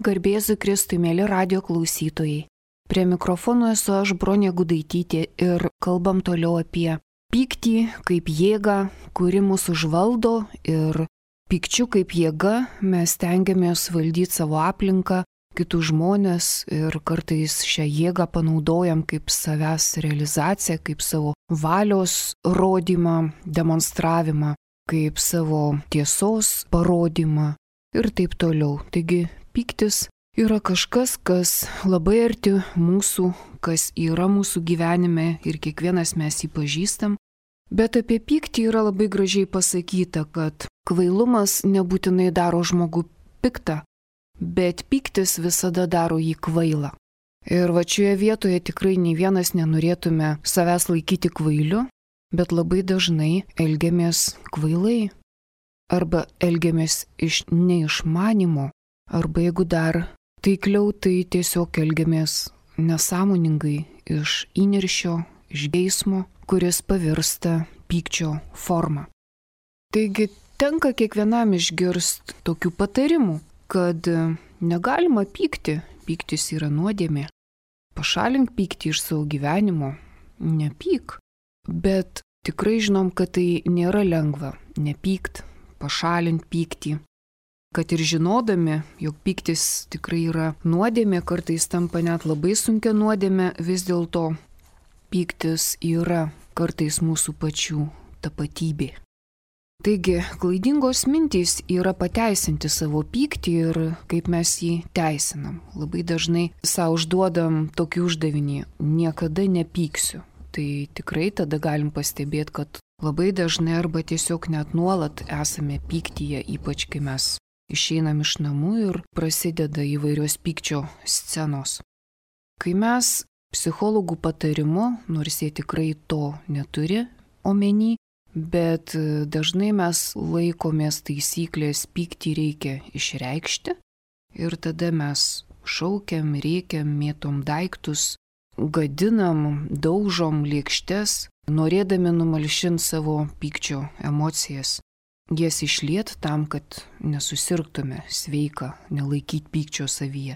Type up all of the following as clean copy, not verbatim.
Garbėzu Kristui, mėly radio klausytojai. Prie mikrofono esu aš, Bronė Gudaitytė, ir kalbam toliau apie pyktį kaip jėgą, kuri mus užvaldo, ir pykčiu kaip jėga mes stengiamės valdyti savo aplinką, kitus žmonės, ir kartais šią jėgą panaudojam kaip savęs realizaciją, kaip savo valios rodymą, demonstravimą, kaip savo tiesos parodymą ir taip toliau. Taigi pyktis yra kažkas, kas labai arti mūsų, kas yra mūsų gyvenime ir kiekvienas mes jį pažįstam. Bet apie pyktį yra labai gražiai pasakyta, kad kvailumas nebūtinai daro žmogų piktą, bet pyktis visada daro jį kvailą. Ir va šioje vietoje tikrai nei vienas nenorėtume savęs laikyti kvailiu, bet labai dažnai elgiamės kvailai. Arba elgiamės iš neišmanimo, arba jeigu dar taikliau, tai tiesiog elgiamės nesąmoningai iš įniršio, iš geismo, kuris pavirsta pykčio forma. Taigi tenka kiekvienam išgirsti tokių patarimų, kad negalima pykti, pyktis yra nuodėmė. Pašalink pyktį iš savo gyvenimo, nepyk. Bet tikrai žinom, kad tai nėra lengva, nepykt, pašalint pyktį. Kad ir žinodami, jog pyktis tikrai yra nuodėmė, kartais tampa net labai sunkia nuodėmė, vis dėlto pyktis yra kartais mūsų pačių tapatybė. Taigi, klaidingos mintys yra pateisinti savo pyktį ir kaip mes jį teisinam. Labai dažnai savo užduodam tokį uždavinį – niekada nepyksiu. Tai tikrai tada galim pastebėti, kad labai dažnai arba tiesiog net nuolat esame pyktyje, ypač kai mes išeinam iš namų ir prasideda įvairios pykčio scenos. Kai mes psichologų patarimu, nors jie tikrai to neturi omeny, bet dažnai mes laikomės taisyklės pyktį reikia išreikšti ir tada mes šaukiam, rėkiam, mėtom daiktus, gadinam, daužom lėkštes, norėdami numalšinti savo pykčio emocijas. Jas išliet tam, kad nesusirgtume, sveika, nelaikyti pykčio savyje.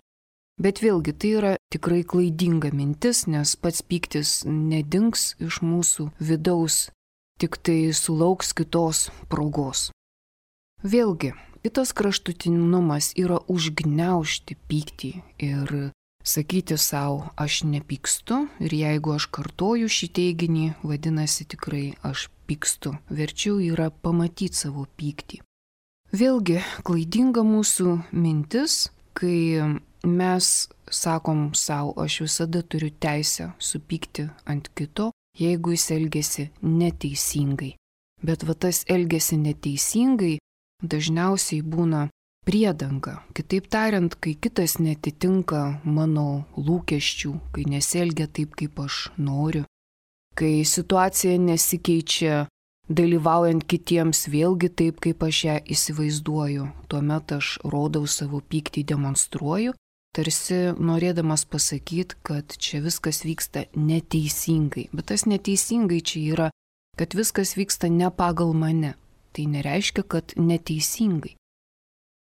Bet vėlgi tai yra tikrai klaidinga mintis, nes pats pyktis nedings iš mūsų vidaus, tik tai sulauks kitos progos. Vėlgi, kitas kraštutinumas yra užgniaužti pyktį ir sakyti savo, aš nepykstu, ir jeigu aš kartoju šį teiginį, vadinasi tikrai aš pykstu. Verčiau yra pamatyti savo pyktį. Vėlgi, klaidinga mūsų mintis, kai mes sakom savo, aš visada turiu teisę supykti ant kito, jeigu jis elgiasi neteisingai. Bet va tas elgiasi neteisingai dažniausiai būna priedanga. Kitaip tariant, kai kitas netitinka mano lūkesčių, kai nesielgia taip, kaip aš noriu, kai situacija nesikeičia dalyvaujant kitiems vėlgi taip, kaip aš ją įsivaizduoju, tuomet aš rodau savo pyktį, demonstruoju, tarsi norėdamas pasakyti, kad čia viskas vyksta neteisingai. Bet tas neteisingai čia yra, kad viskas vyksta ne pagal mane. Tai nereiškia, kad neteisingai.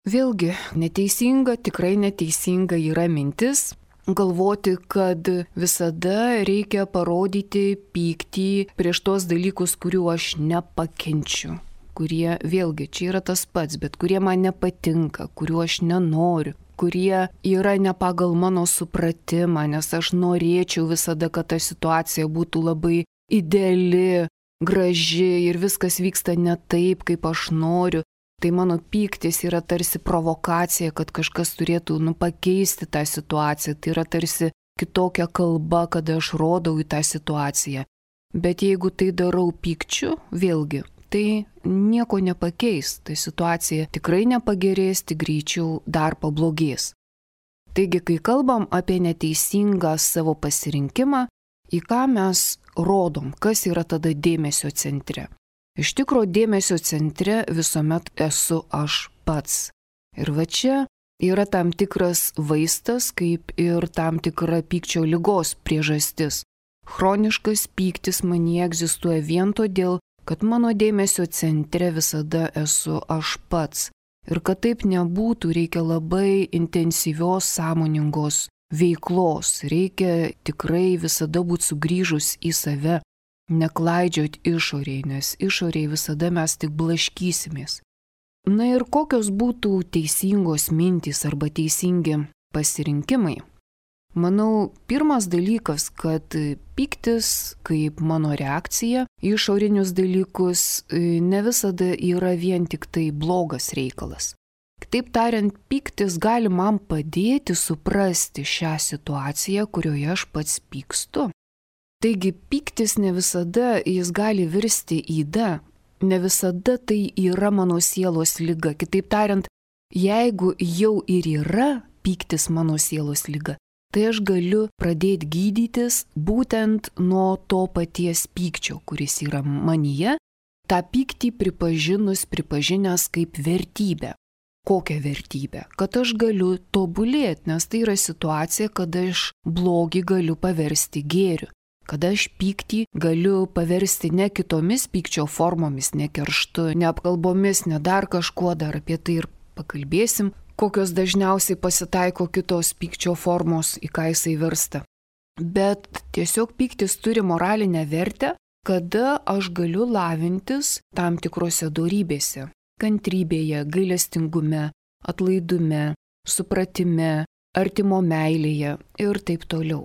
Vėlgi, neteisinga, tikrai neteisinga yra mintis galvoti, kad visada reikia parodyti pyktį prieš tos dalykus, kurių aš nepakenčiu, kurie, vėlgi, čia yra tas pats, bet kurie man nepatinka, kuriuo aš nenoriu, kurie yra ne pagal mano supratimą, nes aš norėčiau visada, kad ta situacija būtų labai ideali, graži ir viskas vyksta ne taip, kaip aš noriu. Tai mano pyktis yra tarsi provokacija, kad kažkas turėtų pakeisti tą situaciją. Tai yra tarsi kitokia kalba, kada aš rodau į tą situaciją. Bet jeigu tai darau pykčiu, vėlgi, tai nieko nepakeis. Tai situacija tikrai nepagerės, tik greičiau dar pablogės. Taigi, kai kalbam apie neteisingą savo pasirinkimą, į ką mes rodom, kas yra tada dėmesio centre. Iš tikro dėmesio centre visuomet esu aš pats. Ir va čia yra tam tikras vaistas, kaip ir tam tikra pykčio ligos priežastis. Chroniškas pyktis manyje egzistuoja vien todėl, kad mano dėmesio centre visada esu aš pats. Ir kad taip nebūtų, reikia labai intensyvios, sąmoningos veiklos. Reikia tikrai visada būti sugrįžus į save, neklaidžiot išoriai, nes išoriai visada mes tik blaškysimės. Na ir kokios būtų teisingos mintys arba teisingi pasirinkimai? Manau, pirmas dalykas, kad pyktis kaip mano reakcija į išorinius dalykus ne visada yra vien tik tai blogas reikalas. Kitaip tariant, pyktis gali man padėti suprasti šią situaciją, kurioje aš pats pykstu. Taigi pyktis ne visada jis gali virsti yda, ne visada tai yra mano sielos liga. Kitaip tariant, jeigu jau ir yra pyktis mano sielos liga, tai aš galiu pradėti gydytis būtent nuo to paties pykčio, kuris yra manyje, tą pyktį pripažinęs kaip vertybę. Kokią vertybę? Kad aš galiu tobulėti, nes tai yra situacija, kada aš blogį galiu paversti gėriu. Kada aš pyktį galiu paversti ne kitomis pykčio formomis, ne kerštu, ne apkalbomis, ne dar kažkuo, dar apie tai ir pakalbėsim, kokios dažniausiai pasitaiko kitos pykčio formos, į ką jisai virsta. Bet tiesiog pyktis turi moralinę vertę, kada aš galiu lavintis tam tikrose dorybėse. Kantrybėje, gailestingume, atlaidume, supratime, artimo meilėje ir taip toliau.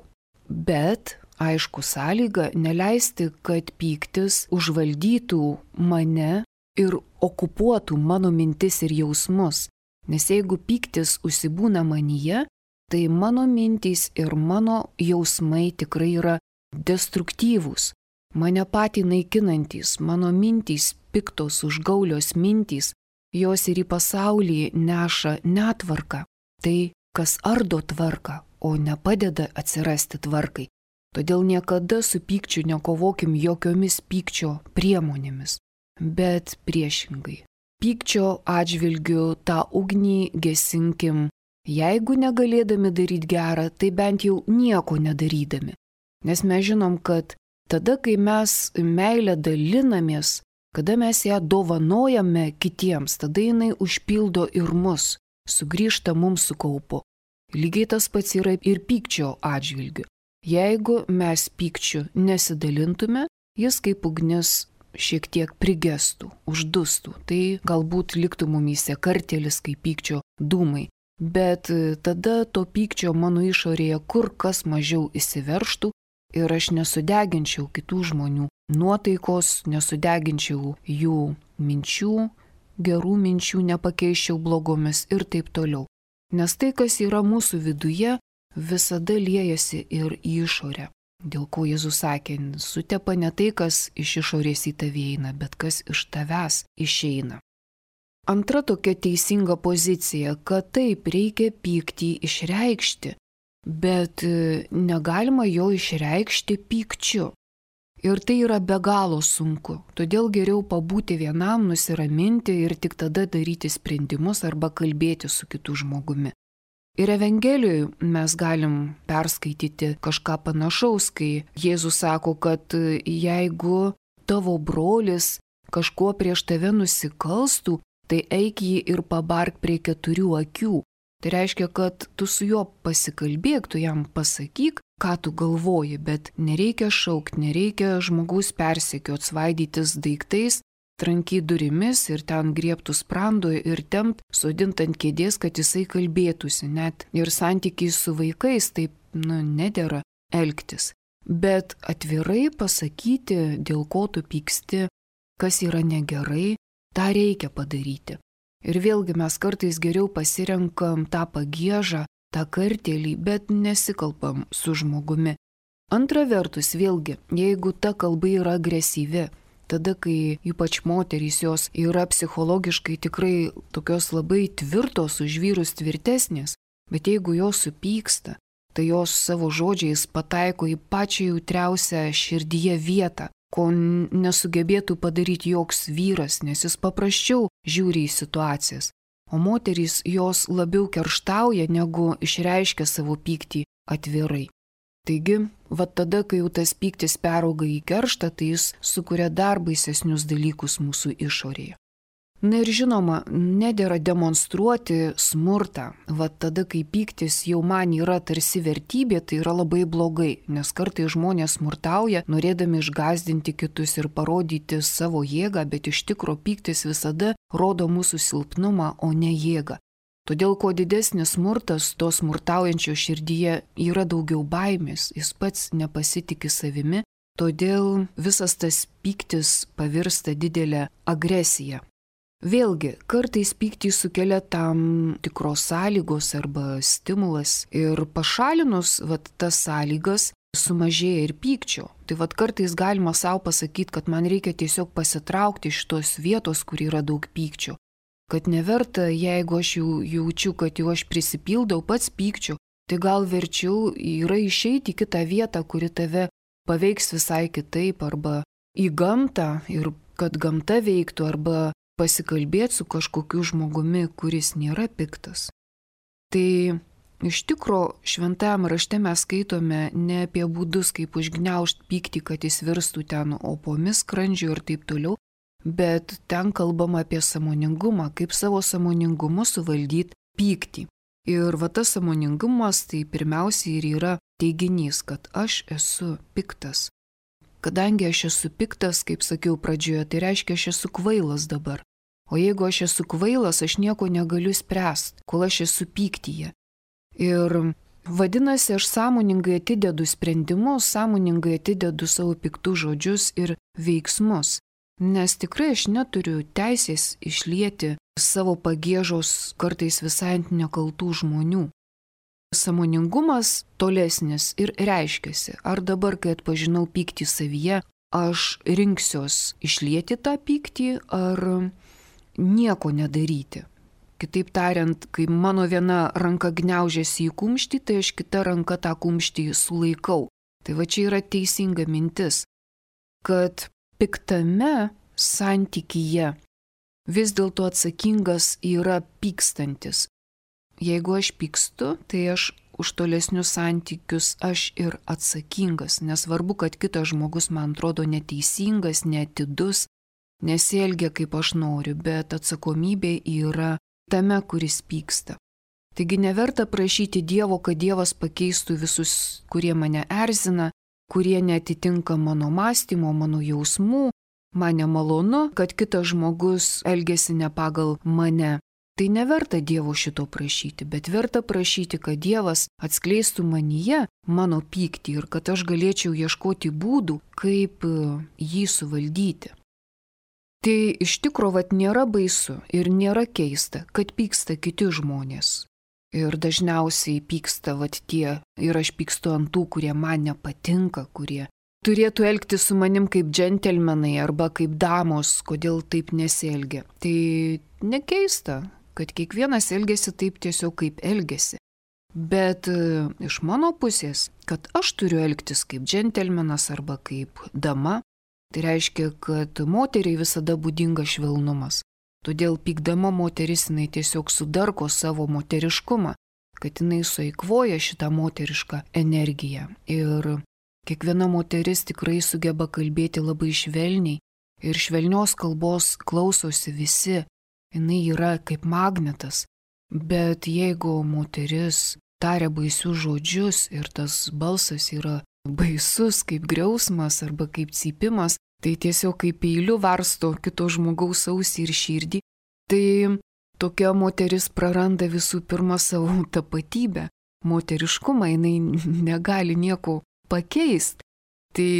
Bet, aišku, sąlyga neleisti, kad pyktis užvaldytų mane ir okupuotų mano mintis ir jausmus. Nes jeigu pyktis užsibūna manyje, tai mano mintys ir mano jausmai tikrai yra destruktyvūs, mane patį naikinantys, mano mintys piktos užgaulios mintys, jos ir į pasaulį neša netvarką. Tai, kas ardo tvarką, o nepadeda atsirasti tvarkai. Todėl niekada su pykčiu nekovokim jokiomis pykčio priemonėmis, bet priešingai. Pykčio atžvilgiu tą ugnį gesinkim, jeigu negalėdami daryti gerą, tai bent jau nieko nedarydami. Nes mes žinom, kad tada, kai mes meilę dalinamės, kada mes ją dovanojame kitiems, tada jinai užpildo ir mus, sugrįžta mums su kaupu. Lygiai tas pats yra ir pykčio atžvilgiu. Jeigu mes pykčiu nesidalintume, jis kaip ugnis šiek tiek prigestų, uždustų, tai galbūt liktų mumyse kartėlis kaip pykčio dūmai, bet tada to pykčio mano išorėje kur kas mažiau įsiverštų ir aš nesudeginčiau kitų žmonių nuotaikos, nesudeginčiau jų minčių, gerų minčių nepakeiščiau blogomis ir taip toliau. Nes tai, kas yra mūsų viduje, visada liejasi ir į išorę. Dėl ko Jėzus sakė, sutepa ne tai, kas iš išorės į tave eina, bet kas iš tavęs išeina. Antra tokia teisinga pozicija, kad taip reikia pyktį išreikšti, bet negalima jo išreikšti pykčiu. Ir tai yra be galo sunku, todėl geriau pabūti vienam, nusiraminti ir tik tada daryti sprendimus arba kalbėti su kitu žmogumi. Ir Evangelijoje mes galim perskaityti kažką panašaus, kai Jėzus sako, kad jeigu tavo brolis kažkuo prieš tave nusikalstų, tai eik jį ir pabark prie 4 akių. Tai reiškia, kad tu su juo pasikalbėk, tu jam pasakyk, ką tu galvoji, bet nereikia šaukti, nereikia žmogaus persekiot, svaidytis daiktais, trankyt durimis ir ten griebtų sprando ir tempt, sodint ant kėdės, kad jisai kalbėtųsi. Net ir santykiai su vaikais taip, nedera elgtis. Bet atvirai pasakyti, dėl ko tu pyksti, kas yra negerai, tą reikia padaryti. Ir vėlgi mes kartais geriau pasirenkam tą pagiežą, tą kartėlį, bet nesikalbam su žmogumi. Antra vertus, vėlgi, jeigu ta kalba yra agresyvi, tada, kai ypač moterys jos yra psichologiškai tikrai tokios labai tvirtos, už vyrus tvirtesnės, bet jeigu jos supyksta, tai jos savo žodžiais pataiko į pačią jautriausią širdyje vietą, ko nesugebėtų padaryti joks vyras, nes jis paprasčiau žiūri į situacijas. O moterys jos labiau kerštauja, negu išreiškia savo pyktį atvirai. Taigi, tada, kai jau tas pyktis perauga į kerštą, tai jis sukuria dar baisesnius dalykus mūsų išorėje. Na ir žinoma, nedėra demonstruoti smurtą. Vat tada, kai pyktis jau man yra tarsi vertybė, tai yra labai blogai, nes kartais žmonės smurtauja, norėdami išgąsdinti kitus ir parodyti savo jėgą, bet iš tikro pyktis visada rodo mūsų silpnumą, o ne jėgą. Todėl, kuo didesnis smurtas, to smurtaujančio širdyje yra daugiau baimės, jis pats nepasitikė savimi, todėl visas tas pyktis pavirsta didelę agresiją. Vėlgi, kartais pyktį sukelia tam tikros sąlygos arba stimulas ir pašalinus tas sąlygas sumažėja ir pykčio. Tai kartais galima savo pasakyti, kad man reikia tiesiog pasitraukti iš tos vietos, kur yra daug pykčio. Kad neverta, jeigu aš jau jaučiu, kad jau aš prisipildau pats pykčio, tai gal verčiau yra išeiti į kitą vietą, kuri tave paveiks visai kitaip, arba į gamtą ir kad gamta veiktų, arba pasikalbėti su kažkokiu žmogumi, kuris nėra piktas. Tai iš tikro šventajame rašte mes skaitome ne apie būdus, kaip užgniaužti pyktį, kad jis virstų ten opomis skrandžio ir taip toliau, bet ten kalbama apie sąmoningumą, kaip savo sąmoningumu suvaldyti pyktį. Ir tas sąmoningumas tai pirmiausia ir yra teiginys, kad aš esu piktas. Kadangi aš esu piktas, kaip sakiau pradžioje, tai reiškia, aš esu kvailas dabar. O jeigu aš esu kvailas, aš nieko negaliu spręsti, kol aš esu pyktyje. Ir vadinasi, aš sąmoningai atidedu sprendimus, sąmoningai atidedu savo piktus žodžius ir veiksmus. Nes tikrai aš neturiu teisės išlieti savo pagiežos kartais visai ant nekaltų žmonių. Sąmoningumas tolesnis ir reiškiasi, ar dabar, kai atpažinau pyktį savyje, aš rinksiuos išlieti tą pyktį, ar nieko nedaryti. Kitaip tariant, kai mano viena ranka gniaužiasi į kumštį, tai aš kita ranka tą kumštį sulaikau. Tai čia yra teisinga mintis, kad piktame santykyje vis dėlto atsakingas yra pykstantis. Jeigu aš pykstu, tai aš už tolesnius santykius aš ir atsakingas, nesvarbu, kad kitas žmogus man atrodo neteisingas, neatidus, nesielgia kaip aš noriu, bet atsakomybė yra tame, kuris pyksta. Taigi neverta prašyti Dievo, kad Dievas pakeistų visus, kurie mane erzina, kurie neatitinka mano mąstymo, mano jausmų, man nemalonu, kad kitas žmogus elgiasi ne pagal mane. Tai neverta Dievo šito prašyti, bet verta prašyti, kad Dievas atskleistų manyje mano pyktį ir kad aš galėčiau ieškoti būdų, kaip jį suvaldyti. Tai iš tikro nėra baisu ir nėra keista, kad pyksta kiti žmonės. Ir dažniausiai pyksta tie, ir aš pykstu ant tų, kurie man nepatinka, kurie turėtų elgtis su manim kaip džentelmenai arba kaip damos, kodėl taip nesielgia. Tai nekeista, kad kiekvienas elgiasi taip tiesiog kaip elgiasi. Bet iš mano pusės, kad aš turiu elgtis kaip džentelmenas arba kaip dama, tai reiškia, kad moteriai visada būdinga švelnumas. Todėl pykdama moteris jinai tiesiog sudarko savo moteriškumą, kad jinai sueikvoja šitą moterišką energiją. Ir kiekviena moteris tikrai sugeba kalbėti labai švelniai ir švelnios kalbos klausosi visi. Jinai yra kaip magnetas. Bet jeigu moteris taria baisius žodžius ir tas balsas yra baisus kaip griausmas arba kaip cypimas, tai tiesiog kaip peiliu varsto kito žmogaus ausį ir širdį, tai tokia moteris praranda visų pirma savo tapatybę, moteriškumą, jinai negali nieko pakeisti. Tai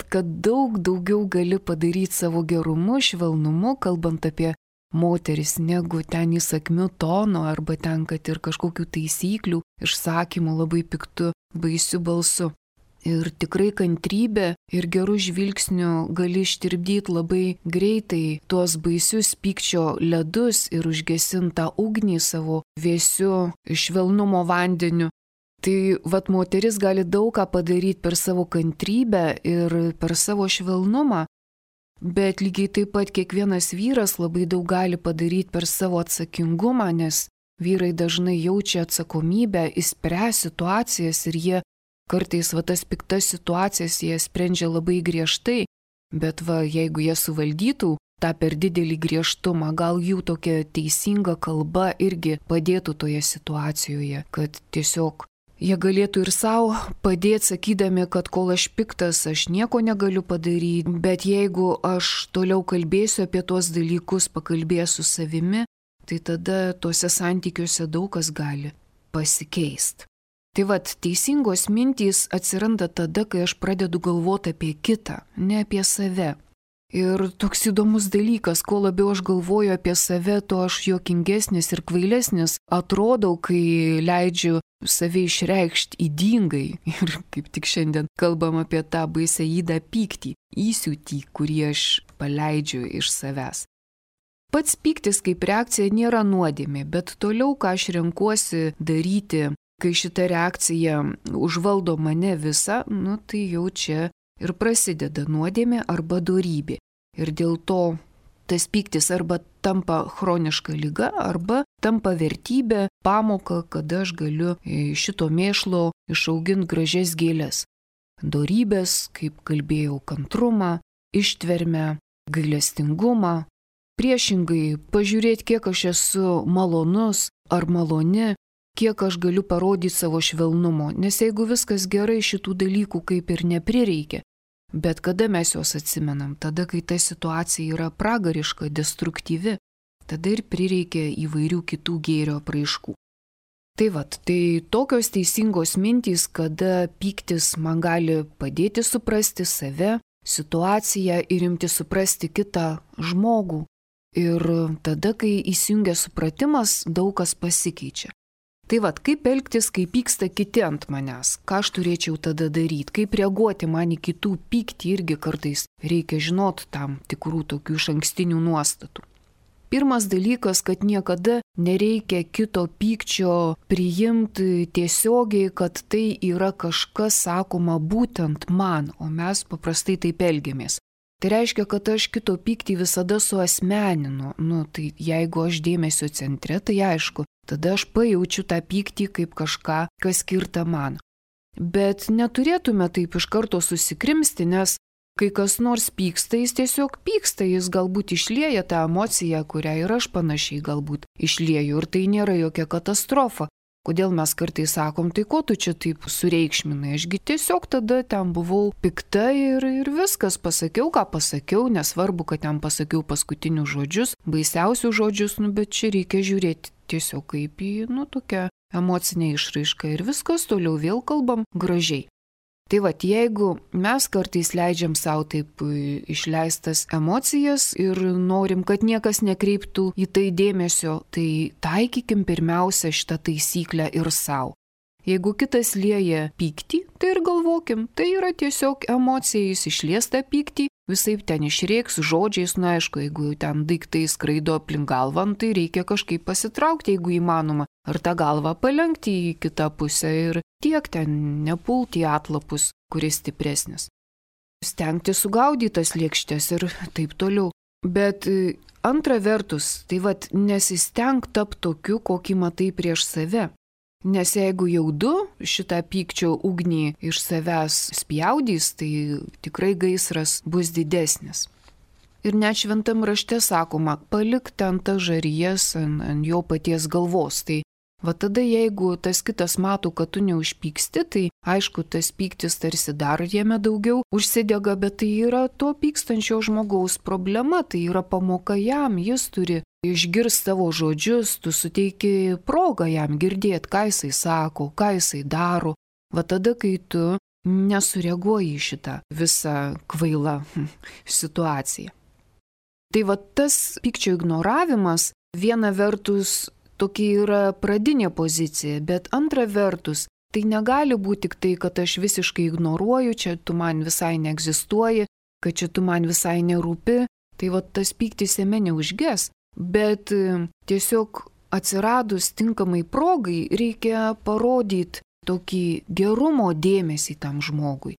kad daug daugiau gali padaryti savo gerumu, švelnumu, kalbant apie moteris, negu ten įsakmiu tonu arba ten, kad ir kažkokių taisyklių, išsakymų labai piktu, baisiu balsu. Ir tikrai kantrybė ir gerų žvilgsnių gali ištirpdyti labai greitai tuos baisius pykčio ledus ir užgesinti tą ugnį savo vėsiu švelnumo vandeniu. Tai moteris gali daug ką padaryti per savo kantrybę ir per savo švelnumą, bet lygiai taip pat kiekvienas vyras labai daug gali padaryti per savo atsakingumą, nes vyrai dažnai jaučia atsakomybę išspręsti situacijas ir jie kartais tas piktas situacijas jie sprendžia labai griežtai, Bet jeigu jie suvaldytų tą per didelį griežtumą, gal jų tokia teisinga kalba irgi padėtų toje situacijoje, kad tiesiog jie galėtų ir savo padėti, sakydami, kad kol aš piktas, aš nieko negaliu padaryti, bet jeigu aš toliau kalbėsiu apie tuos dalykus, pakalbėsiu su savimi, tai tada tuose santykiuose daug kas gali pasikeisti. Tai teisingos mintys atsiranda tada, kai aš pradedu galvoti apie kitą, ne apie save. Ir toks įdomus dalykas, kuo labiau aš galvoju apie save, tuo aš juokingesnis ir kvailesnis atrodau, kai leidžiu save išreikšti ydingai. Ir kaip tik šiandien kalbam apie tą baisę ydą pyktį, įsiūtį, kurį aš paleidžiu iš savęs. Pats pyktis kaip reakcija nėra nuodėmė, bet toliau, ką aš renkuosi daryti, kai šita reakcija užvaldo mane visą, tai jau čia ir prasideda nuodėmė arba dorybė. Ir dėl to tas pyktis arba tampa chroniška liga, arba tampa vertybė, pamoka, kada aš galiu šito mėšlo išauginti gražias gėles. Dorybės, kaip kalbėjau, kantrumą, ištvermę, gailestingumą. Priešingai, pažiūrėti, kiek aš esu malonus ar maloni, kiek aš galiu parodyti savo švelnumo, nes jeigu viskas gerai, šitų dalykų kaip ir neprireikia. Bet kada mes juos atsimenam, tada, kai ta situacija yra pragariška, destruktyvi, tada ir prireikia įvairių kitų gėrio apraiškų. Tai tokios teisingos mintys, kada pyktis man gali padėti suprasti save, situaciją ir imti suprasti kitą žmogų. Ir tada, kai įsijungia supratimas, daug kas pasikeičia. Kaip elgtis, kai pyksta kiti ant manęs, ką aš turėčiau tada daryti, kaip reaguoti man į kitų pyktį, irgi kartais reikia žinoti tam tikrų tokių išankstinių nuostatų. Pirmas dalykas, kad niekada nereikia kito pykčio priimti tiesiogiai, kad tai yra kažkas sakoma būtent man, o mes paprastai taip elgiamės. Tai reiškia, kad aš kito pyktį visada suasmeninu. Tai jeigu aš dėmesio centre, tai aišku, tada aš pajaučiu tą pyktį kaip kažką, kas skirta man. Bet neturėtume taip iš karto susikrimsti, nes kai kas nors pyksta, jis tiesiog pyksta, jis galbūt išlieja tą emociją, kurią ir aš panašiai galbūt išlieju, ir tai nėra jokia katastrofa. Kodėl mes kartais sakom, tai ko tu čia taip sureikšminai, ašgi tiesiog tada ten buvau pikta ir viskas, pasakiau, ką pasakiau, nesvarbu, kad ten pasakiau paskutinius žodžius, baisiausius žodžius, bet čia reikia žiūrėti tiesiog kaip į, tokią emocinę išraišką ir viskas, toliau vėl kalbam gražiai. Jeigu mes kartais leidžiam savo taip išleistas emocijas ir norim, kad niekas nekreiptų į tai dėmesio, tai taikykim pirmiausia šitą taisyklę ir savo. Jeigu kitas lieja pyktį, tai ir galvokim, tai yra tiesiog emocija, jis išlies tą pyktį, visaip ten išreiks žodžiais, aišku, jeigu ten daiktai skraido aplink galvą, tai reikia kažkaip pasitraukti, jeigu įmanoma, ar tą galvą palenkti į kitą pusę ir tiek ten nepulti į atlapus, kuris stipresnis. Stengti sugaudyti tas lėkštes ir taip toliau. Bet antra vertus, nesisteng tapti tokiu, kokį matai prieš save. Nes jeigu jau du šitą pykčio ugnį iš savęs spjaudys, tai tikrai gaisras bus didesnis. Ir net šventam rašte sakoma, palik ten tas žarijas ant jo paties galvos. Tai tada jeigu tas kitas mato, kad tu neužpyksti, tai aišku, tas pyktis tarsi dar jame daugiau užsidega, bet tai yra to pykstančio žmogaus problema, tai yra pamoka jam, jis turi išgirsti savo žodžius, tu suteiki progą jam girdėti, ką jisai sako, ką jisai daro. Tada, kai tu nesureaguoji į šitą visą kvailą situaciją. Tai tas pykčio ignoravimas viena vertus tokia yra pradinė pozicija, bet antra vertus tai negali būti tik tai, kad aš visiškai ignoruoju, čia tu man visai neegzistuoji, kad čia tu man visai nerūpi, tai tas pyktis jame neužges. Bet tiesiog atsiradus tinkamai progai reikia parodyti tokį gerumo dėmesį tam žmogui.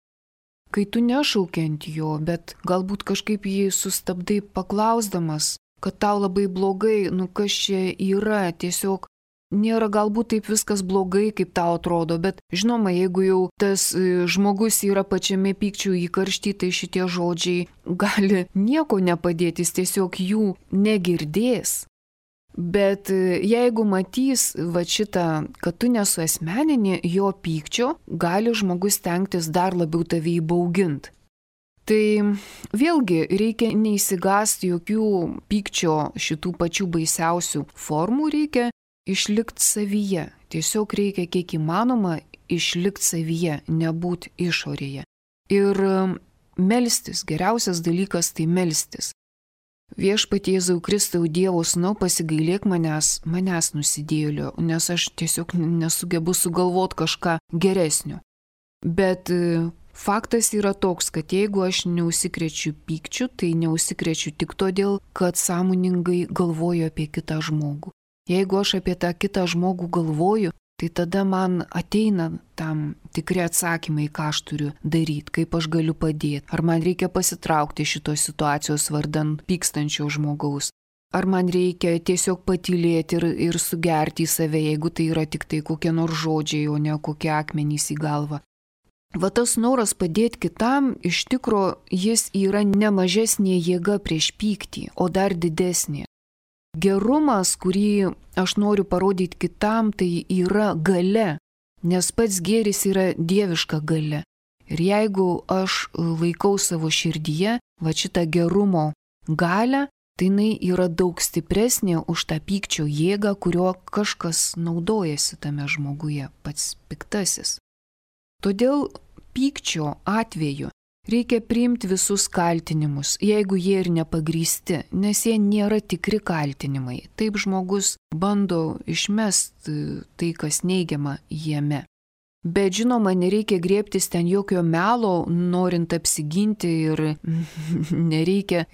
Kai tu nešauki ant jo, bet galbūt kažkaip jį sustabdai paklausdamas, kad tau labai blogai, kas čia yra, tiesiog nėra galbūt taip viskas blogai, kaip tau atrodo, bet žinoma, jeigu jau tas žmogus yra pačiame pykčių įkaršty, tai šitie žodžiai gali nieko nepadėti, jis tiesiog jų negirdės. Bet jeigu matys va šitą, kad tu nesuasmenini jo pykčio, gali žmogus stengtis dar labiau tave įbauginti. Tai vėlgi reikia neįsigąsti jokių pykčio šitų pačių baisiausių formų, reikia išlikti savyje. Tiesiog reikia kiek įmanoma išlikti savyje, nebūti išorėje. Ir melstis, geriausias dalykas tai melstis. Viešpatie Jėzau Kristau, Dievo Sūnau, pasigailėk manęs nusidėjėlio, nes aš tiesiog nesugebu sugalvoti kažką geresnio. Bet faktas yra toks, kad jeigu aš neužsikrečiu pykčiu, tai neužsikrečiu tik todėl, kad sąmoningai galvoju apie kitą žmogų. Jeigu aš apie tą kitą žmogų galvoju, tai tada man ateina tam tikri atsakymai, ką aš turiu daryti, kaip aš galiu padėti. Ar man reikia pasitraukti šitos situacijos vardan pykstančio žmogaus. Ar man reikia tiesiog patylėti ir sugerti į save, jeigu tai yra tik tai kokie nors žodžiai, o ne kokie akmenys į galvą. Va tas noras padėti kitam, iš tikro jis yra ne mažesnė jėga prieš pyktį, o dar didesnė. Gerumas, kurį aš noriu parodyti kitam, tai yra galia, nes pats gėris yra dieviška galia. Ir jeigu aš laikau savo širdyje va šitą gerumo galią, tai jinai yra daug stipresnė už tą pykčio jėgą, kurio kažkas naudojasi tame žmoguje, pats piktasis. Todėl pykčio atveju reikia priimti visus kaltinimus, jeigu jie ir nepagrįsti, nes jie nėra tikri kaltinimai. Taip žmogus bando išmesti tai, kas neigiama jame. Bet žinoma, nereikia griebtis ten jokio melo, norint apsiginti ir nereikia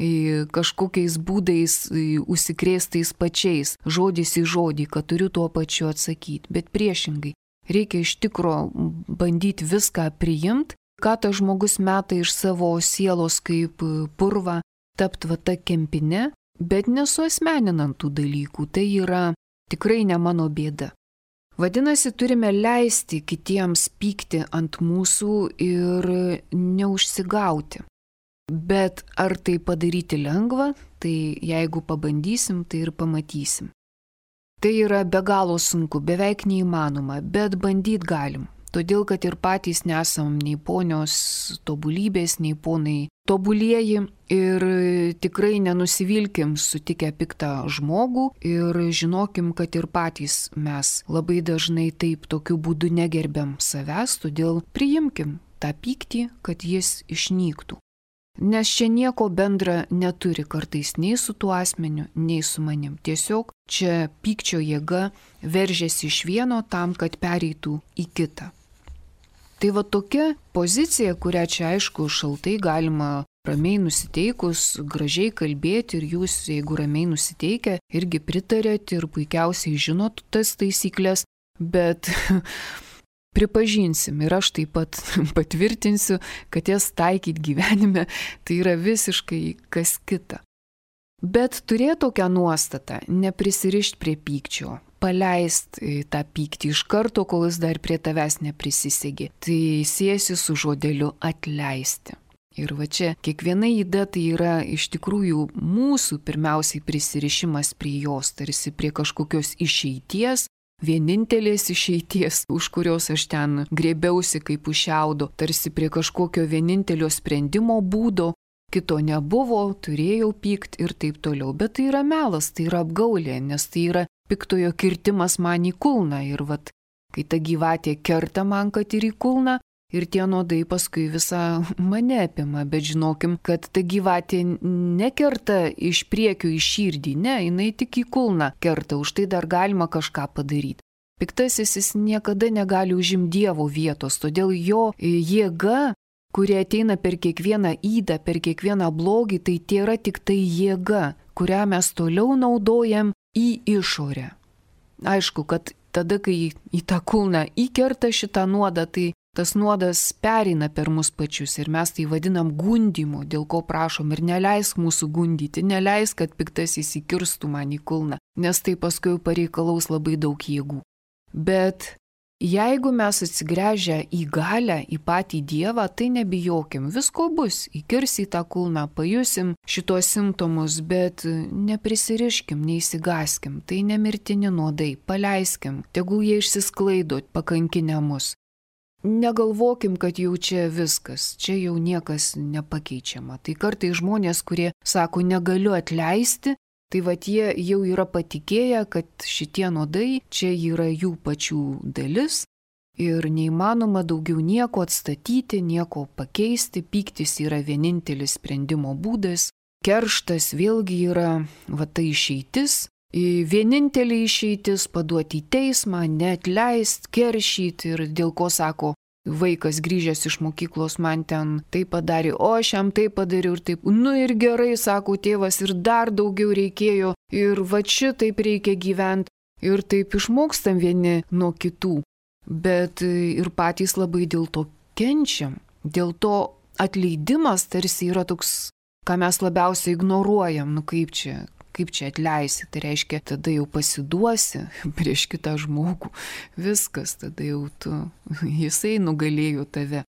kažkokiais būdais užsikrėstais pačiais, žodis į žodį, kad turiu tuo pačiu atsakyti, bet priešingai. Reikia iš tikro bandyti viską priimti, ką tas žmogus meta iš savo sielos kaip purvą, tapti va ta kempine, bet nesuasmeninant tų dalykų. Tai yra tikrai ne mano bėda. Vadinasi, turime leisti kitiems pykti ant mūsų ir neužsigauti. Bet ar tai padaryti lengva, tai jeigu pabandysim, tai ir pamatysim. Tai yra be galo sunku, beveik neįmanoma, bet bandyt galim. Todėl, kad ir patys nesam nei ponios tobulybės, nei ponai tobulieji ir tikrai nenusivilkim sutikę piktą žmogų ir žinokim, kad ir patys mes labai dažnai taip tokiu būdu negerbiam savęs, todėl priimkim tą pyktį, kad jis išnyktų. Nes čia nieko bendra neturi kartais nei su tuo asmeniu, nei su manim. Tiesiog čia pykčio jėga veržiasi iš vieno tam, kad pereitų į kitą. Tai va tokia pozicija, kurią čia aišku šaltai galima ramiai nusiteikus, gražiai kalbėti ir jūs, jeigu ramiai nusiteikę, irgi pritarėt ir puikiausiai žinot tas taisyklės, bet pripažinsim ir aš taip pat patvirtinsiu, kad jas taikyti gyvenime tai yra visiškai kas kita. Bet turėti tokią nuostatą, neprisirišti prie pykčio, paleist tą pyktį iš karto, kol jis dar prie tavęs neprisisegė. Tai siejasi su žodeliu atleisti. Ir va čia kiekviena įda tai yra iš tikrųjų mūsų pirmiausiai prisirišimas prie jos, tarsi prie kažkokios išeities, vienintelės išeities, už kurios aš ten grėbiausi kaip už šiaudo, tarsi prie kažkokio vienintelio sprendimo būdo, kito nebuvo, turėjau pykt ir taip toliau. Bet tai yra melas, tai yra apgaulė, nes tai yra piktojo kirtimas man į kulną. Ir vat, kai ta gyvatė kerta man, kad ir į kulną, ir tie nuodai paskui visą mane apima. Bet žinokim, kad ta gyvatė nekerta iš priekio į širdį, ne, jinai tik į kulną kerta, už tai dar galima kažką padaryti. Piktasis jis niekada negali užimti Dievo vietos, todėl jo jėga, kurie ateina per kiekvieną ydą, per kiekvieną blogį, tai yra tik tai jėga, kurią mes toliau naudojam į išorę. Aišku, kad tada, kai į tą kulną įkerta šitą nuodą, tai tas nuodas pereina per mus pačius ir mes tai vadinam gundymu, dėl ko prašom ir neleisk mūsų gundyti, neleisk, kad piktasis įkirstų man į kulną, nes tai paskui pareikalaus labai daug jėgų. Bet jeigu mes atsigręžę į galią, į patį Dievą, tai nebijokim, visko bus, įkirs į tą kulną, pajusim šitos simptomus, bet neprisiriškim, neįsigaskim, tai nemirtini nuodai, paleiskim, tegul jie išsisklaido pakankinę mus. Negalvokim, kad jau čia viskas, čia jau niekas nepakeičiama. Tai kartai žmonės, kurie sako, negaliu atleisti, tai vat jie jau yra patikėję, kad šitie nuodai čia yra jų pačių dalis ir neįmanoma daugiau nieko atstatyti, nieko pakeisti, pyktis yra vienintelis sprendimo būdas, kerštas vėlgi yra va ta išeitis. Vienintelė išeitis paduoti į teismą, neatleist, keršyti ir dėl ko sako, vaikas grįžęs iš mokyklos man ten tai padarė, o aš jam tai padariau ir taip. Nu ir gerai, sako tėvas, ir dar daugiau reikėjo ir va šitaip reikia gyventi ir taip išmokstam vieni nuo kitų. Bet ir patys labai dėl to kenčiam. Dėl to atleidimas tarsi yra toks, ką mes labiausiai ignoruojam, nu kaip čia atleisi, tai reiškia, tada jau pasiduosi prieš kitą žmogų, viskas, tada jau jisai nugalėjo tave.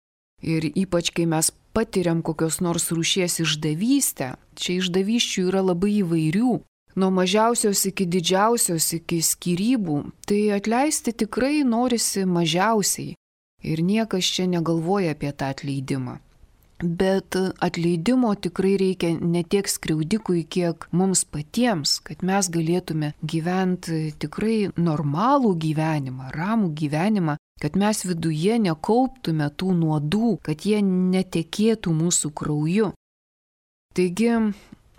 Ir ypač, kai mes patiriam kokios nors rūšies išdavystę, čia išdavysčių yra labai įvairių, nuo mažiausios iki didžiausios, iki skyrybų, tai atleisti tikrai norisi mažiausiai ir niekas čia negalvoja apie tą atleidimą. Bet atleidimo tikrai reikia ne tiek skriaudikui, kiek mums patiems, kad mes galėtume gyventi tikrai normalų gyvenimą, ramų gyvenimą, kad mes viduje nekauptume tų nuodų, kad jie netekėtų mūsų krauju. Taigi,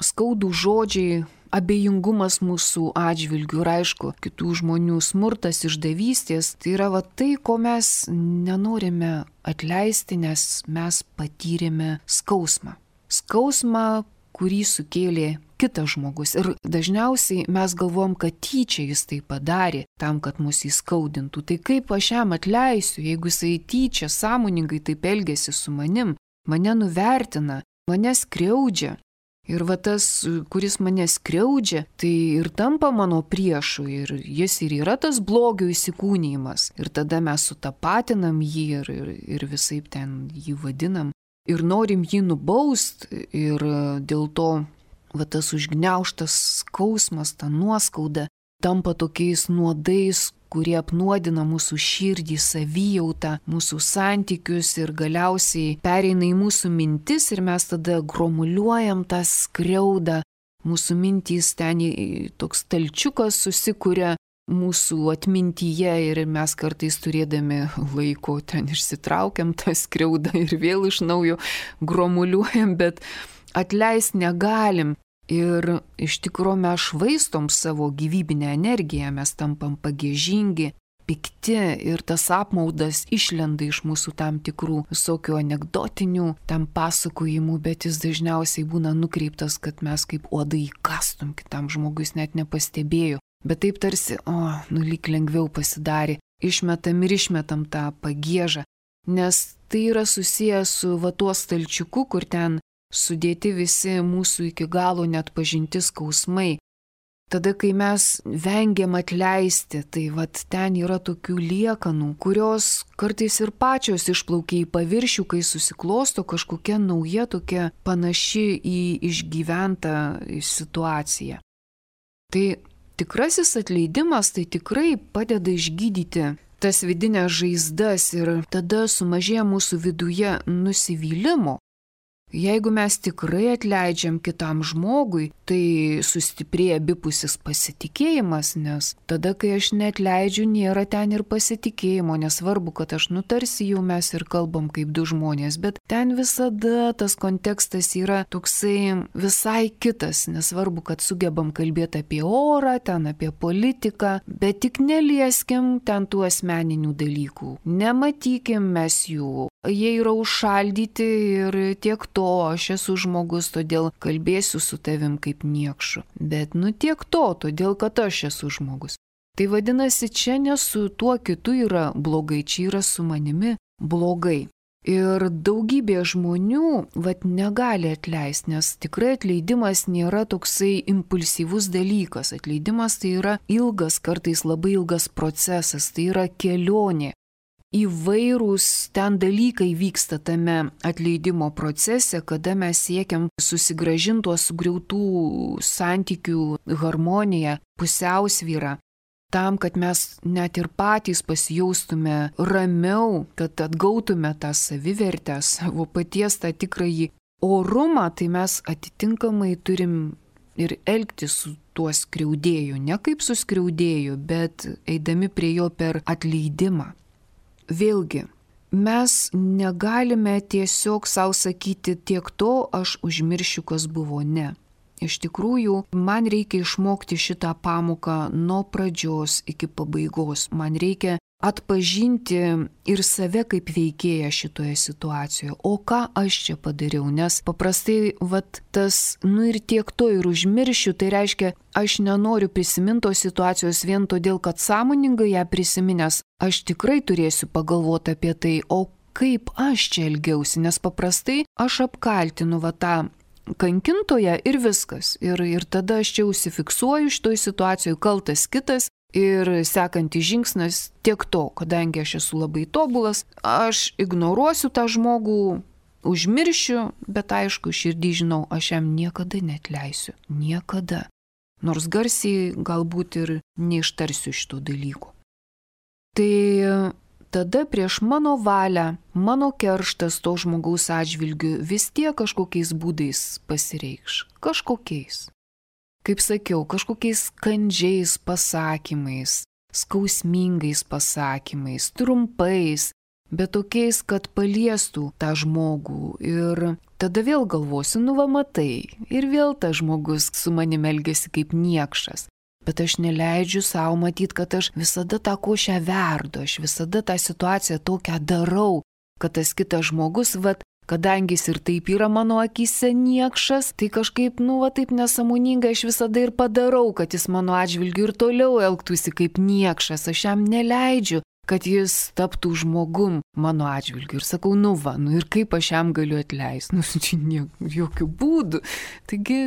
skaudų žodžiai, abejingumas mūsų atžvilgių ir aišku, kitų žmonių smurtas, išdavystės, tai yra va tai, ko mes nenorime atleisti, nes mes patyrėme skausmą. Skausmą, kurį sukėlė kitas žmogus. Ir dažniausiai mes galvom, kad tyčia jis tai padarė tam, kad mus įskaudintų. Tai kaip aš jam atleisiu, jeigu jisai tyčia sąmoningai taip elgėsi su manim, mane nuvertina, mane skriaudžia. Ir va tas, kuris mane skriaudžia, tai ir tampa mano priešu ir jis ir yra tas blogio įsikūnijimas. Ir tada mes sutapatinam jį ir visaip ten jį vadinam. Ir norim jį nubaust ir dėl to va tas užgniaužtas skausmas, ta nuoskauda tampa tokiais nuodais, kurie apnuodina mūsų širdį, savijautą, mūsų santykius ir galiausiai pereina į mūsų mintis ir mes tada gromuliuojam tą skriaudą. Mūsų mintys ten toks stalčiukas susikuria mūsų atmintyje ir mes kartais turėdami laiko ten išsitraukiam tą skriaudą ir vėl iš naujo gromuliuojam, bet atleist negalim. Ir iš tikrųjų mes švaistom savo gyvybinę energiją, mes tampam pagiežingi, pikti ir tas apmaudas išlenda iš mūsų tam tikrų visokių anekdotinių tam pasakojimų, bet jis dažniausiai būna nukreiptas, kad mes kaip uodai įkastum kitam žmogus net nepastebėjo. Bet taip tarsi, lyg lengviau pasidarė, išmetam tą pagiežą, nes tai yra susijęs su va tuo stalčiuku, kur ten sudėti visi mūsų iki galo net pažinti skausmai. Tada, kai mes vengiam atleisti, tai vat ten yra tokių liekanų, kurios kartais ir pačios išplaukia į paviršių, kai susiklosto kažkokia nauja tokia panaši į išgyventą situaciją. Tai tikrasis atleidimas tai tikrai padeda išgydyti tas vidinės žaizdas ir tada sumažėja mūsų viduje nusivylimo. Jeigu mes tikrai atleidžiam kitam žmogui, tai sustiprėja abipusis pasitikėjimas, nes tada, kai aš neatleidžiu, nėra ten ir pasitikėjimo, nesvarbu, kad aš nutarsi jau mes ir kalbam kaip du žmonės, bet ten visada tas kontekstas yra toksai visai kitas, nesvarbu, kad sugebam kalbėti apie orą, ten apie politiką, bet tik nelieskim ten tų asmeninių dalykų, nematykim mes jų. Jie yra užšaldyti ir tiek to, aš esu žmogus, todėl kalbėsiu su tavim kaip niekšu. Bet tiek to, todėl kad aš esu žmogus. Tai vadinasi, čia ne su tuo kitu yra blogai, čia yra su manimi blogai. Ir daugybė žmonių negali atleisti, nes tikrai atleidimas nėra toksai impulsyvus dalykas. Atleidimas tai yra ilgas, kartais labai ilgas procesas, tai yra kelionė. Įvairūs ten dalykai vyksta tame atleidimo procese, kada mes siekiam susigrąžinti tuos sugriautų santykių harmoniją, pusiausvyrą, tam, kad mes net ir patys pasijaustume ramiau, kad atgautume tą savivertę, savo paties tą tikrąjį orumą, tai mes atitinkamai turim ir elgtis su tuo skriaudėju, ne kaip su skriaudėju, bet eidami prie jo per atleidimą. Vėlgi, mes negalime tiesiog savo sakyti tiek to, aš užmiršiu, kas buvo, ne. Iš tikrųjų, man reikia išmokti šitą pamoką nuo pradžios iki pabaigos. Man reikia atpažinti ir save kaip veikėją šitoje situacijoje. O ką aš čia padariau? Nes paprastai tas, ir tiek to ir užmiršiu, tai reiškia, aš nenoriu prisiminti tos situacijos vien todėl, kad sąmoningai ją prisiminęs, aš tikrai turėsiu pagalvoti apie tai, o kaip aš čia elgiausi, nes paprastai aš apkaltinu tą kankintoją ir viskas. Ir tada aš čia užsifiksuoju šitoj situacijoje, kaltas kitas ir sekantis žingsnis tiek to, kadangi aš esu labai tobulas, aš ignoruosiu tą žmogų, užmiršiu, bet aišku, širdį žinau, aš jam niekada neatleisiu. Niekada. Nors garsiai galbūt ir neištarsiu šito dalyko. Tai tada prieš mano valią, mano kerštas to žmogaus atžvilgiu vis tiek kažkokiais būdais pasireikš. Kažkokiais. Kaip sakiau, kažkokiais kandžiais pasakymais, skausmingais pasakymais, trumpais, bet tokiais, kad paliestų tą žmogų. Ir tada vėl galvosiu, matai, ir vėl tas žmogus su manimi elgiasi kaip niekšas. Bet aš neleidžiu savo matyti, kad aš visada tą košę verdu, aš visada tą situaciją tokią darau, kad tas kitas žmogus, kadangi jis ir taip yra mano akyse niekšas, tai kažkaip, taip nesąmoningai aš visada ir padarau, kad jis mano atžvilgiu ir toliau elgtųsi kaip niekšas. Aš jam neleidžiu, kad jis taptų žmogum mano atžvilgiu. Ir sakau, ir kaip aš jam galiu atleisti? Čia jokių būdų. Taigi,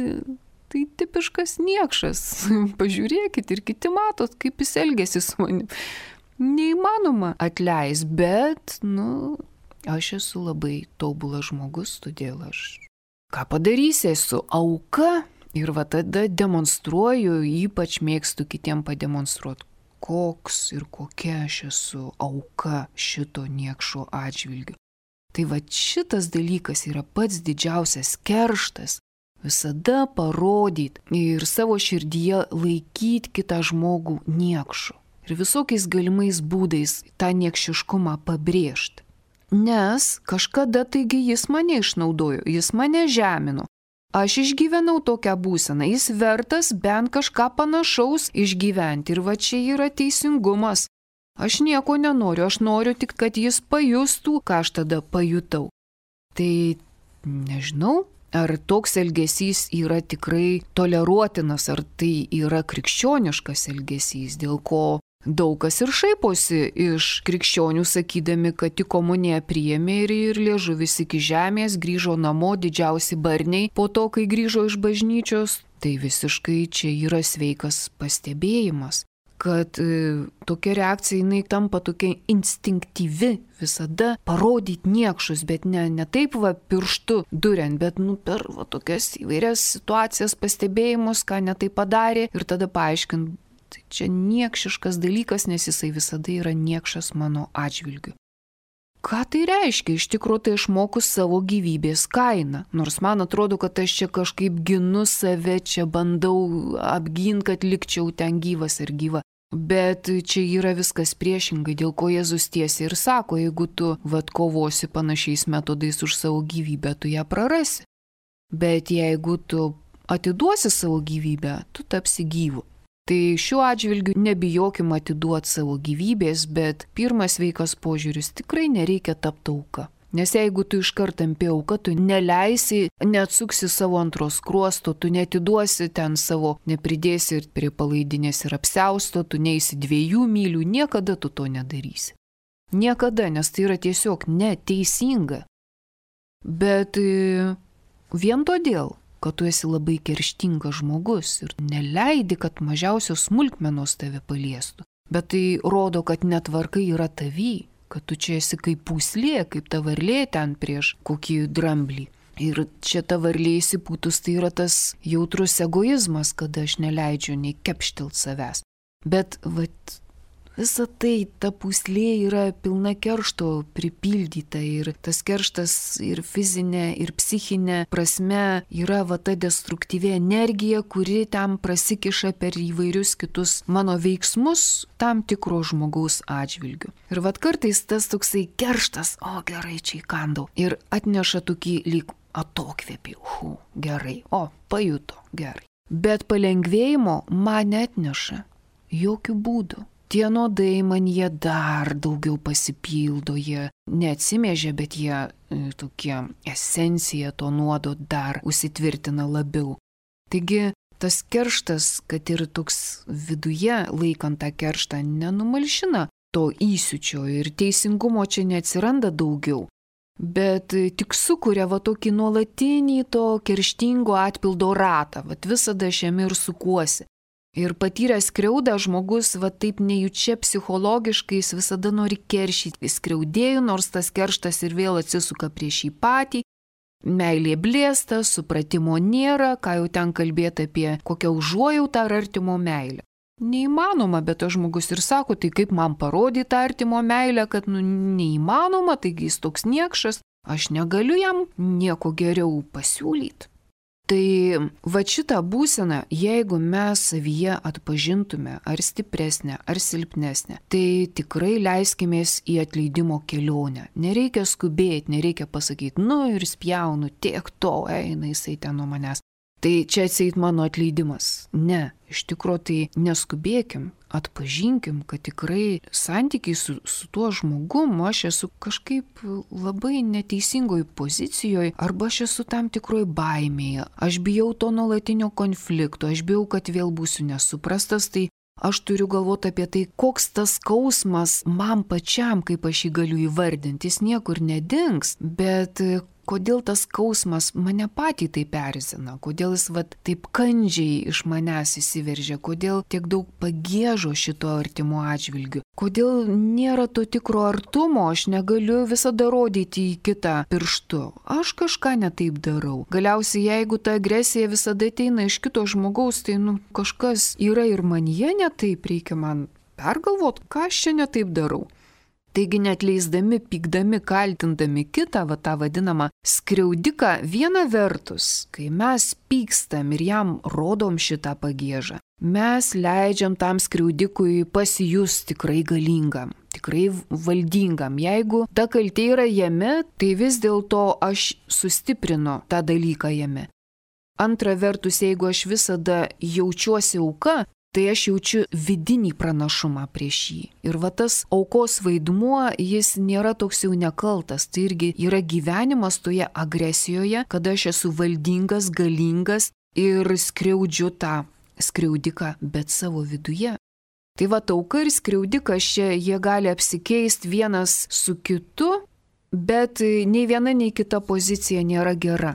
tai tipiškas niekšas. Pažiūrėkit ir kiti matot, kaip jis elgėsi su manim. Neįmanoma atleisti, bet, aš esu labai tobulas žmogus, todėl aš ką padarysiu, esu auka ir tada demonstruoju, ypač mėgstu kitiem pademonstruoti, koks ir kokia aš esu auka šito niekšo atžvilgiu. Tai šitas dalykas yra pats didžiausias kerštas, visada parodyti ir savo širdyje laikyti kitą žmogų niekšu ir visokiais galimais būdais tą niekšiškumą pabrėžti. Nes kažkada taigi jis mane išnaudojo, jis mane žemino. Aš išgyvenau tokią būseną, jis vertas bent kažką panašaus išgyventi. Ir čia yra teisingumas. Aš nieko nenoriu, aš noriu tik, kad jis pajustų, ką aš tada pajutau. Tai nežinau, ar toks elgesys yra tikrai toleruotinas, ar tai yra krikščioniškas elgesys, dėl ko daug kas ir šaiposi iš krikščionių, sakydami, kad tik komuniją priėmė ir liežuvis iki žemės, grįžo namo didžiausi barniai po to, kai grįžo iš bažnyčios. Tai visiškai čia yra sveikas pastebėjimas, kad tokia reakcija jinai tampa tokia instinktyvi, visada parodyti niekšus, bet ne taip pirštu duriant, bet per tokias įvairias situacijas, pastebėjimus, ką ne tai padarė ir tada paaiškint. Tai čia niekšiškas dalykas, nes jisai visada yra niekšas mano atžvilgiu. Ką tai reiškia? Iš tikrųjų tai aš moku savo gyvybės kainą. Nors man atrodo, kad aš čia kažkaip ginu save, čia bandau apginti, kad likčiau ten gyvas ir gyva. Bet čia yra viskas priešingai, dėl ko Jėzus tiesiai ir sako, jeigu tu kovosi panašiais metodais už savo gyvybę, tu ją prarasi. Bet jeigu tu atiduosi savo gyvybę, tu tapsi gyvu. Tai šiuo atžvilgiu nebijokim atiduoti savo gyvybės, bet pirmas sveikas požiūris tikrai nereikia tapti auka. Nes jeigu tu iškart tampi auka, tu neleisi, neatsuksi savo antros skruosto, tu netiduosi ten savo, nepridėsi ir prie palaidinės ir apsiausto, tu neisi 2 mylių, niekada tu to nedarysi. Niekada, nes tai yra tiesiog neteisinga. Bet vien todėl, kad tu esi labai kerštingas žmogus ir neleidi, kad mažiausios smulkmenos tave paliestų. Bet tai rodo, kad netvarkai yra tavy, kad tu čia esi kaip pūslė, kaip ta varlė ten prieš kokį dramblį. Ir čia ta varlė įsipūtus, tai yra tas jautrus egoizmas, kada aš neleidžiu nei kepštelt savęs. Bet visa tai, ta pūslė yra pilna keršto pripildyta ir tas kerštas ir fizinė, ir psichinė prasme yra ta destruktyvi energija, kuri tam prasikiša per įvairius kitus mano veiksmus tam tikro žmogaus atžvilgiu. Ir kartais tas toksai kerštas, o gerai, čia įkandau, ir atneša tokį lyg atokvėpį, gerai, pajuto, gerai. Bet palengvėjimo man neatneša jokių būdų. Tie nuodai man jie dar daugiau pasipildo, jie neatsimėžia, bet jie tokie esencija to nuodo dar užsitvirtina labiau. Taigi tas kerštas, kad ir toks viduje laikant tą kerštą, nenumalšina to įsiūčio ir teisingumo čia neatsiranda daugiau. Bet tik sukuria tokį nuolatinį to kerštingo atpildo ratą, visada šiame ir sukuosi. Ir patyręs skriaudą žmogus taip nejučia psichologiškai jis visada nori keršyti skriaudėjų, nors tas kerštas ir vėl atsisuka prieš jį patį. Meilė blėsta, supratimo nėra, ką jau ten kalbėti apie kokią užuojautą ar artimo meilę. Neįmanoma, bet tas žmogus ir sako, tai kaip man parodyti tą artimo meilę, kad neįmanoma, taigi jis toks niekšas, aš negaliu jam nieko geriau pasiūlyti. Tai šitą būseną, jeigu mes savyje atpažintume ar stipresnę, ar silpnesnę, tai tikrai leiskimės į atleidimo kelionę. Nereikia skubėti, nereikia pasakyti, ir spjaunu, tiek to eina jisai ten nuo manęs. Tai čia atseit mano atleidimas. Ne, iš tikrųjų tai neskubėkim, atpažinkim, kad tikrai santykiai su tuo žmogum aš esu kažkaip labai neteisingoj pozicijoje arba aš esu tam tikroj baimėje. Aš bijau to nuolatinio konflikto, aš bijau, kad vėl būsiu nesuprastas, tai aš turiu galvoti apie tai, koks tas skausmas man pačiam, kaip aš jį galiu įvardinti, jis niekur nedings, bet kodėl tas skausmas mane patį taip erzina, kodėl jis taip kandžiai iš manęs įsiveržia, kodėl tiek daug pagiežo šito artimo atžvilgiu, kodėl nėra to tikro artumo, aš negaliu visada rodyti į kitą pirštu, aš kažką netaip darau. Galiausiai, jeigu ta agresija visada ateina iš kito žmogaus, tai kažkas yra ir manyje netaip, reikia man pergalvoti, ką aš čia netaip darau. Taigi neatleisdami, pykdami, kaltindami kitą, tą vadinamą skriaudiką, viena vertus, kai mes pykstam ir jam rodom šitą pagiežą, mes leidžiam tam skriaudikui pasijus tikrai galingam, tikrai valdingam. Jeigu ta kaltė yra jame, tai vis dėlto aš sustiprinu tą dalyką jame. Antra vertus, jeigu aš visada jaučiuosi auka, tai aš jaučiu vidinį pranašumą prieš jį. Ir tas aukos vaidmuo, jis nėra toks jau nekaltas. Tai irgi yra gyvenimas toje agresijoje, kada aš esu valdingas, galingas ir skriaudžiu tą skriaudiką, bet savo viduje. Tai auka ir skriaudikas čia, jie gali apsikeisti vienas su kitu, bet nei viena, nei kita pozicija nėra gera.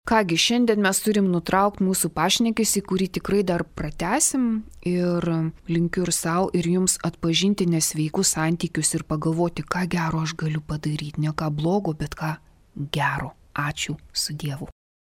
Kągi, šiandien mes turim nutraukti mūsų pašnekesį, kurį tikrai dar pratęsim ir linkiu ir savo, ir jums atpažinti nesveikus santykius ir pagalvoti, ką gero aš galiu padaryti. Ne ką blogo, bet ką gero. Ačiū, su Dievu.